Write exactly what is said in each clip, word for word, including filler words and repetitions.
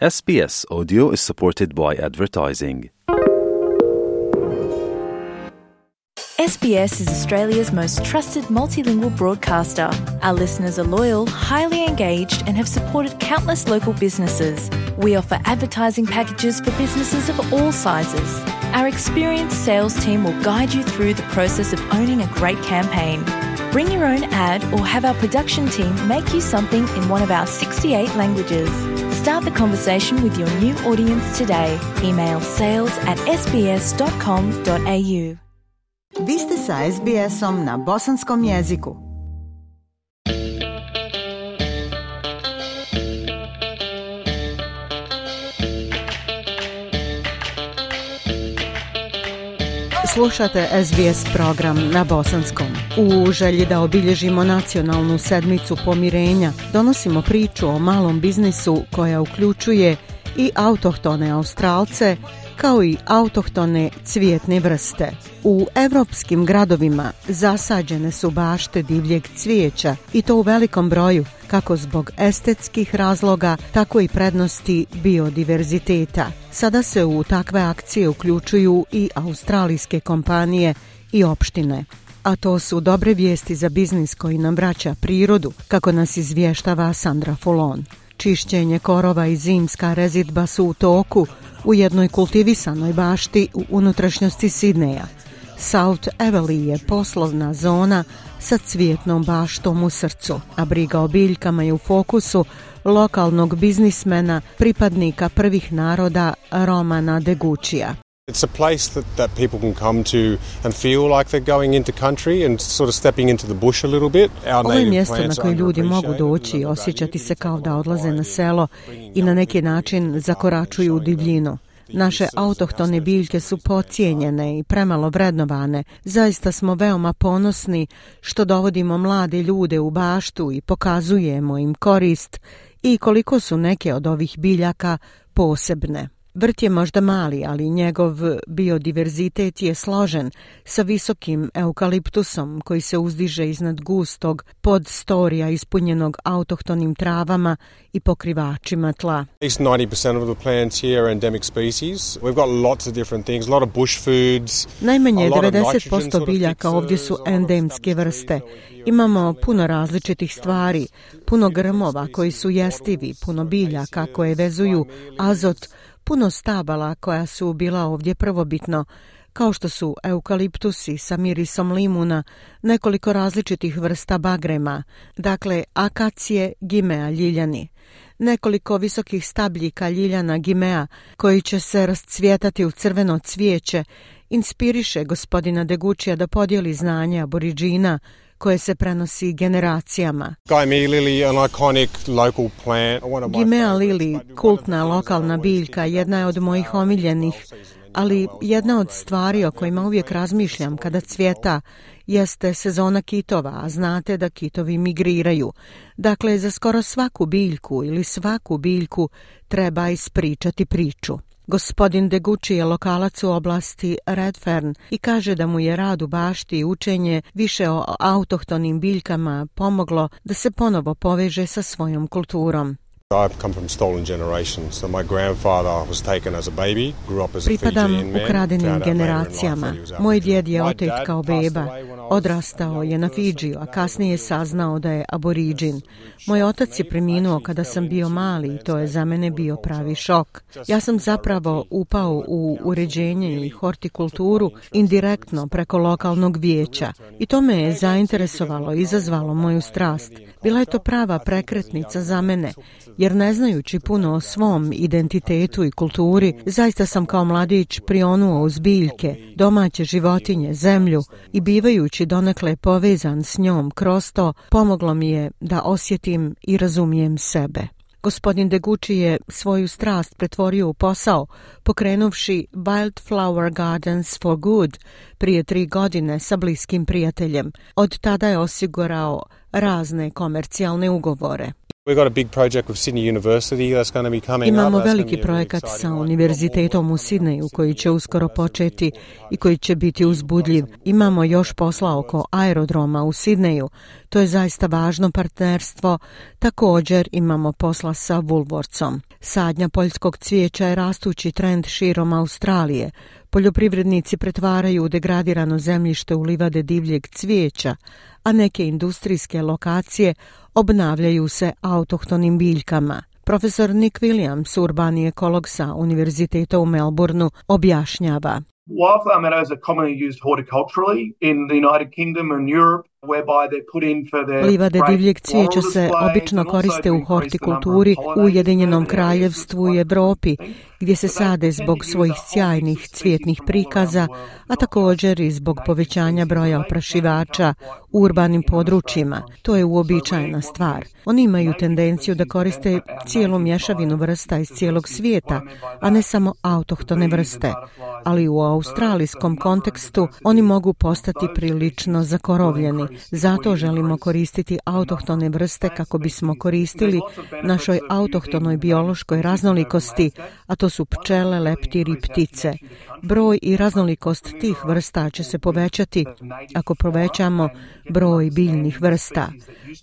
S B S Audio is supported by advertising. S B S is Australia's most trusted multilingual broadcaster. Our listeners are loyal, highly engaged, and have supported countless local businesses. We offer advertising packages for businesses of all sizes. Our experienced sales team will guide you through the process of owning a great campaign. Bring your own ad or have our production team make you something in one of our sixty-eight languages. Start the conversation with your new audience today. Email sales at s b s dot com dot a u. Vi ste sa S B S-om na bosanskom jeziku. Slušate S B S program na bosanskom. U želji da obilježimo nacionalnu sedmicu pomirenja, donosimo priču o malom biznisu koja uključuje i autohtone Australce, kao i autohtone cvijetne vrste. U evropskim gradovima zasađene su bašte divljeg cvijeća i to u velikom broju, kako zbog estetskih razloga, tako i prednosti biodiverziteta. Sada se u takve akcije uključuju i australijske kompanije i opštine. A to su dobre vijesti za biznis koji nam vraća prirodu, kako nas izvještava Sandra Fulon. Čišćenje korova i zimska rezidba su u toku u jednoj kultivisanoj bašti u unutrašnjosti Sidneja. South Eveleigh je poslovna zona sa cvijetnom baštom u srcu, a briga o biljkama je u fokusu lokalnog biznismena, pripadnika prvih naroda Romana Degučija. It's a place that, that people can come to and feel like they're going into country and sort of stepping into the bush a little bit. Ovo je mjesto na koje ljudi mogu doći i osjećati se kao da odlaze na selo i na neki način zakoračuju u divljinu. Naše autohtone biljke su podcijenjene i premalo vrednovane. Zaista smo veoma ponosni što dovodimo mlade ljude u baštu i pokazujemo im korist i koliko su neke od ovih biljaka posebne. Vrt je možda mali, ali njegov biodiverzitet je složen sa visokim eukaliptusom koji se uzdiže iznad gustog podstorija ispunjenog autohtonim travama i pokrivačima tla. ninety percent of the plants here are endemic species. We've got lots of different things, a lot of bush foods. Najmanje devedeset posto biljaka ovdje su endemske vrste. Imamo puno različitih stvari, puno grmova koji su jestivi, puno biljaka koje vezuju azot, puno stabala koja su bila ovdje prvobitno, kao što su eukaliptusi sa mirisom limuna, nekoliko različitih vrsta bagrema, dakle akacije, gimea ljiljani, nekoliko visokih stabljika ljiljana gimea koji će se rascvjetati u crveno cvijeće, inspiriše gospodina Degučija da podijeli znanje aboriđina koje se prenosi generacijama. Gimea lili, kultna lokalna biljka, jedna je od mojih omiljenih, ali jedna od stvari o kojima uvijek razmišljam kada cvjeta jeste sezona kitova, a znate da kitovi migriraju. Dakle, za skoro svaku biljku ili svaku biljku treba ispričati priču. Gospodin Deguči je lokalac u oblasti Redfern i kaže da mu je rad u bašti i učenje više o autohtonim biljkama pomoglo da se ponovo poveže sa svojom kulturom. Pripadam ukradenim generacijama. Moj djed je otet kao beba. Odrastao je na Fidžiju, a kasnije je saznao da je aboriđin. Moj otac je preminuo kada sam bio mali i to je za mene bio pravi šok. Ja sam zapravo upao u uređenje i hortikulturu indirektno preko lokalnog vijeća i to me je zainteresovalo i izazvalo moju strast. Bila je to prava prekretnica za mene, jer ne znajući puno o svom identitetu i kulturi, zaista sam kao mladić prionuo uz biljke, domaće životinje, zemlju i bivajući donekle povezan s njom kroz to, pomoglo mi je da osjetim i razumijem sebe. Gospodin Deguči je svoju strast pretvorio u posao, pokrenuvši Wildflower Gardens for Good prije tri godine sa bliskim prijateljem. Od tada je osigurao razne komercijalne ugovore. We've got a big project with Sydney University that's going to be coming up. Imamo veliki projekat sa univerzitetom u Sidneju koji će uskoro početi i koji će biti uzbudljiv. Imamo još posla oko aerodroma u Sidneju. To je zaista važno partnerstvo. Također imamo posla sa Woolworthsom. Sadnja poljskog cvijeća je rastući trend širom Australije. Poljoprivrednici pretvaraju degradirano zemljište u livade divljeg cvijeća, a neke industrijske lokacije obnavljaju se autohtonim biljkama. Profesor Nick Williams, urbani ekolog sa Univerziteta u Melbourneu, objašnjava. Wildflower meadows are commonly used horticulturally in the United Kingdom and Europe. Livade divljeg cvijeća se obično koriste u hortikulturi u Ujedinjenom kraljevstvu i Evropi, gdje se sade zbog svojih sjajnih cvijetnih prikaza, a također i zbog povećanja broja oprašivača u urbanim područjima. To je uobičajena stvar. Oni imaju tendenciju da koriste cijelu mješavinu vrsta iz cijelog svijeta, a ne samo autohtone vrste. Ali u australijskom kontekstu oni mogu postati prilično zakorovljeni. Zato želimo koristiti autohtone vrste kako bismo koristili našoj autohtonoj biološkoj raznolikosti, a to su pčele, leptiri i ptice. Broj i raznolikost tih vrsta će se povećati ako povećamo broj biljnih vrsta.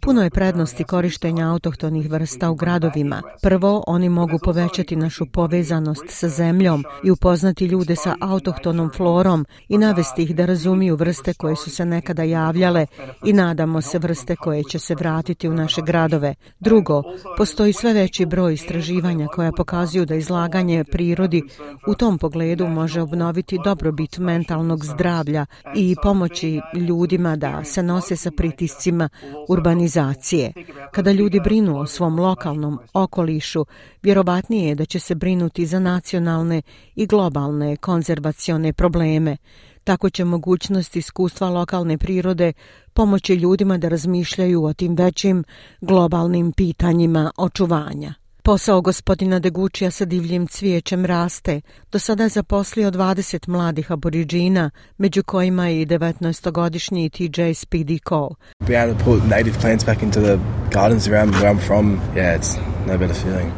Puno je prednosti korištenja autohtonih vrsta u gradovima. Prvo, oni mogu povećati našu povezanost sa zemljom i upoznati ljude sa autohtonom florom i navesti ih da razumiju vrste koje su se nekada javljale i nadamo se vrste koje će se vratiti u naše gradove. Drugo, postoji sve veći broj istraživanja koja pokazuju da izlaganje prirodi u tom pogledu može obnoviti dobrobit mentalnog zdravlja i pomoći ljudima da se nose sa pritiscima urbanizacije. Kada ljudi brinu o svom lokalnom okolišu, vjerovatnije je da će se brinuti za nacionalne i globalne konzervacione probleme. Tako će mogućnost iskustva lokalne prirode pomoći ljudima da razmišljaju o tim većim globalnim pitanjima očuvanja. Posao gospodina Degučija sa divljim cvijećem raste. Do sada je zaposlio dvadeset mladih aboriđina, među kojima je i devetnaestogodišnji T J Speedy Cole.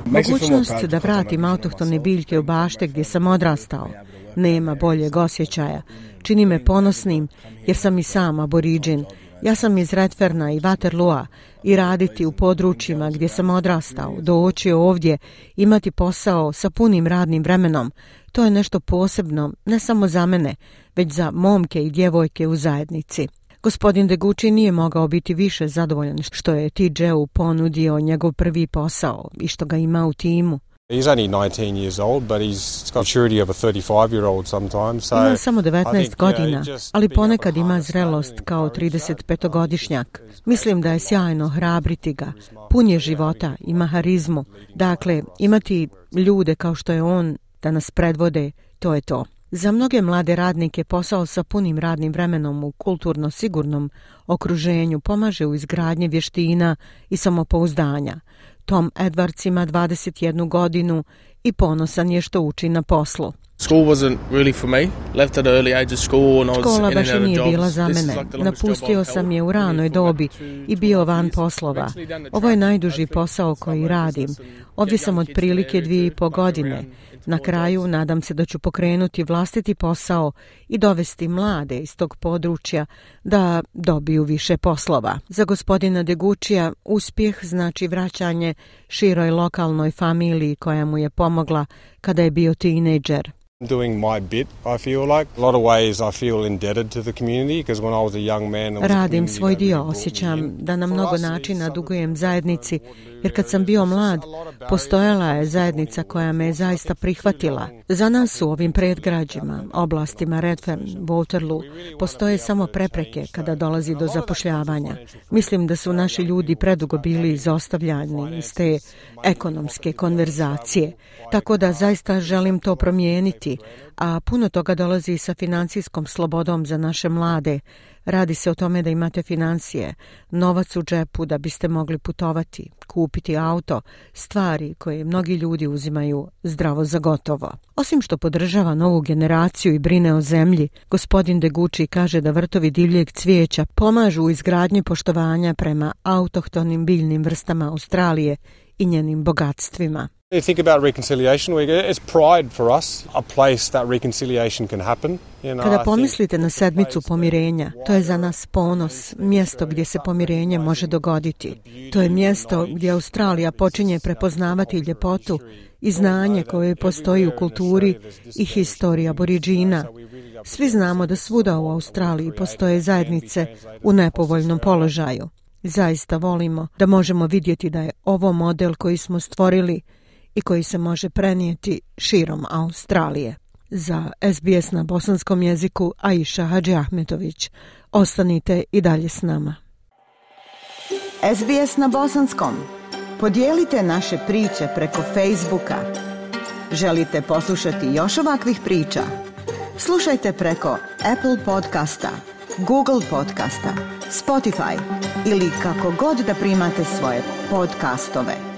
Mogućnost da vratim autohtone biljke u bašte gdje sam odrastao. Nema boljeg osjećaja. Čini me ponosnim jer sam i sam aboriđin. Ja sam iz Redferna i Waterloa i raditi u područjima gdje sam odrastao, doći ovdje, imati posao sa punim radnim vremenom, to je nešto posebno, ne samo za mene, već za momke i djevojke u zajednici. Gospodin Deguči nije mogao biti više zadovoljan što je T J-u ponudio njegov prvi posao i što ga ima u timu. He's only nineteen years old, but he's got maturity of a thirty-five-year-old sometimes. So ima samo devetnaest godina, ali ponekad ima zrelost kao tridesetpetogodišnjak. Mislim da je sjajno hrabriti ga. Pun je života, ima harizmu. Dakle, imati ljude kao što je on da nas predvode, to je to. Za mnoge mlade radnike posao sa punim radnim vremenom u kulturno sigurnom okruženju pomaže u izgradnji vještina i samopouzdanja. Tom Edwards ima dvadeset jednu godinu i ponosan je što uči na poslu. Škola baš i nije bila za mene. Napustio sam je u ranoj dobi i bio van poslova. Ovo je najduži posao koji radim. Ovdje sam otprilike dvije i po godine. Na kraju nadam se da ću pokrenuti vlastiti posao i dovesti mlade iz tog područja da dobiju više poslova. Za gospodina Degučija uspjeh znači vraćanje široj lokalnoj familiji koja mu je pomogla kada je bio tinejdžer. Doing my bit, I feel like. A lot of ways I feel indebted to the community because when I was a young man, radim svoj dio, osjećam da na mnogo načina dugujem zajednici, jer kad sam bio mlad, postojala je zajednica koja me je zaista prihvatila. Za nas u ovim predgrađima, oblastima Redfern, Waterloo, postoje samo prepreke kada dolazi do zapošljavanja. Mislim da su naši ljudi predugo bili izostavljani iz te ekonomske konverzacije, tako da zaista želim to promijeniti. kupiti, a puno toga dolazi sa financijskom slobodom za naše mlade. Radi se o tome da imate financije, novac u džepu da biste mogli putovati, kupiti auto, stvari koje mnogi ljudi uzimaju zdravo za gotovo. Osim što podržava novu generaciju i brine o zemlji, gospodin Degucci kaže da vrtovi divljeg cvijeća pomažu u izgradnji poštovanja prema autohtonim biljnim vrstama Australije i njenim bogatstvima. You think about reconciliation week, it's pride for us, a place that reconciliation can happen. You know, Kada pomislite na sedmicu pomirenja, to je za nas ponos, mjesto gdje se pomirenje može dogoditi. To je mjesto gdje Australija počinje prepoznavati ljepotu i znanje koje postoji u kulturi i historiji Aboriđina. Svi znamo da svuda u Australiji postoje zajednice u nepovoljnom položaju. Zaista volimo da možemo vidjeti da je ovo model koji smo stvorili i koji se može prenijeti širom Australije. Za S B S na bosanskom jeziku Aisha Hadžiahmetović. Ostanite i dalje s nama. S B S na bosanskom. Podijelite naše priče preko Facebooka. Želite poslušati još ovakvih priča? Slušajte preko Apple podcasta, Google podcasta, Spotify ili kako god da primate svoje podcastove.